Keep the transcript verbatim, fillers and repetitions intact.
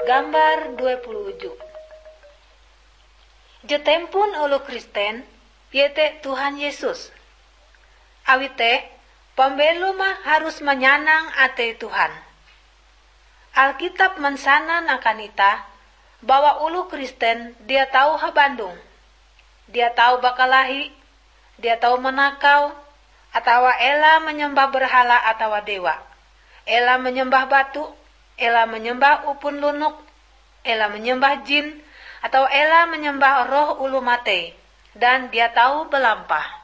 Gambar dua puluh tujuh. Je tempon oloh Kristen, iete Tuhan Yesus. Awi te, pambelom harus manyanang atei Tuhan. Alkitab mansanan akan itah bahwa oloh Kristen dia tau habandong, dia tau bakalahi, dia tau manakau, atawa ela manyembah berhala atawa dewa, ela manyembah batu, ela manyembah upun lonok, ela manyembah jin, atawa ela manyembah roh oloh matei, dan dia tau balampah.